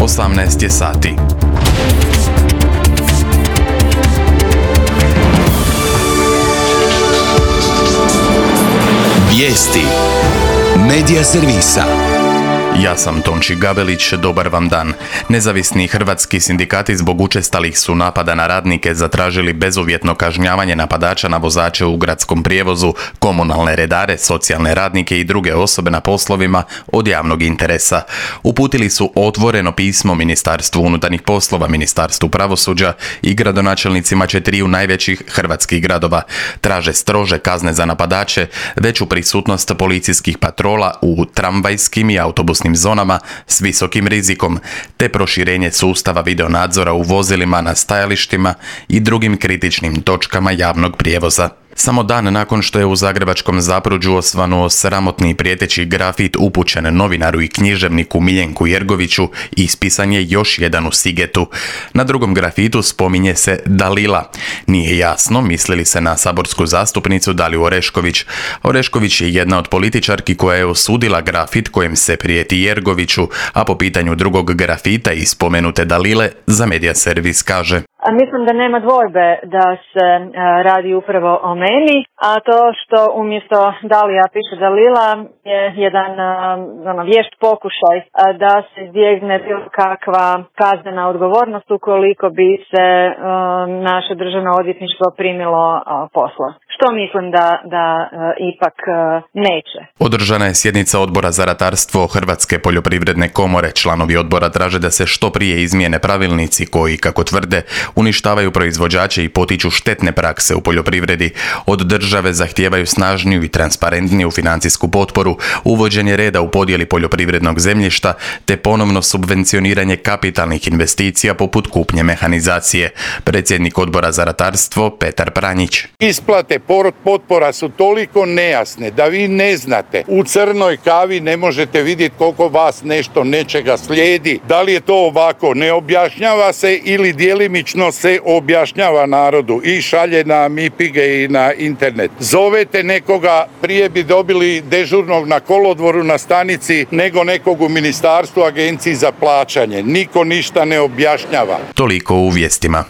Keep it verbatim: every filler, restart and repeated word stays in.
osamnaest je sati. Vijesti Medija servisa. Ja sam Tonči Gavelić, dobar vam dan. Nezavisni hrvatski sindikati zbog učestalih su napada na radnike zatražili bezuvjetno kažnjavanje napadača na vozače u gradskom prijevozu, komunalne redare, socijalne radnike i druge osobe na poslovima od javnog interesa. Uputili su otvoreno pismo Ministarstvu unutarnjih poslova, Ministarstvu pravosuđa i gradonačelnicima četiriju najvećih hrvatskih gradova. Traže strože kazne za napadače, veću prisutnost policijskih patrola u tramvajskim i autobusnim zonama s visokim rizikom, te proširenje sustava videonadzora u vozilima na stajalištima i drugim kritičnim točkama javnog prijevoza. Samo dan nakon što je u zagrebačkom Zapruđu osvanuo sramotni i prijeteći grafit upućen novinaru i književniku Miljenku Jergoviću, ispisan je još jedan u Sigetu. Na drugom grafitu spominje se Dalila. Nije jasno misli li se na saborsku zastupnicu Daliju Orešković. Orešković je jedna od političarki koja je osudila grafit kojem se prijeti Jergoviću, a po pitanju drugog grafita i spomenute Dalile za Medija servis kaže: Mislim da nema dvojbe da se uh, radi upravo o meni, a to što umjesto Dalija piše Dalila je jedan uh, ono, vješt pokušaj uh, da se izbjegne bilo kakva kaznena odgovornost ukoliko bi se uh, naše državno odvjetništvo primilo uh, posla. Što mislim da, da uh, ipak uh, neće. Održana je sjednica Odbora za ratarstvo Hrvatske poljoprivredne komore. Članovi odbora traže da se što prije izmijene pravilnici koji, kako tvrde, uništavaju proizvođače i potiču štetne prakse u poljoprivredi. Od države zahtijevaju snažniju i transparentniju financijsku potporu, uvođenje reda u podjeli poljoprivrednog zemljišta te ponovno subvencioniranje kapitalnih investicija poput kupnje mehanizacije. Predsjednik Odbora za ratarstvo Petar Pranjić. Isplate potpora su toliko nejasne da vi ne znate. U crnoj kavi ne možete vidjeti koliko vas nešto nečega slijedi. Da li je to ovako? Ne objašnjava se ili djelimično se objašnjava narodu i šalje na mipige i na internet. Zovete nekoga, prije bi dobili dežurnog na kolodvoru na stanici nego nekog u ministarstvu, agenciji za plaćanje. Niko ništa ne objašnjava. Toliko u vijestima.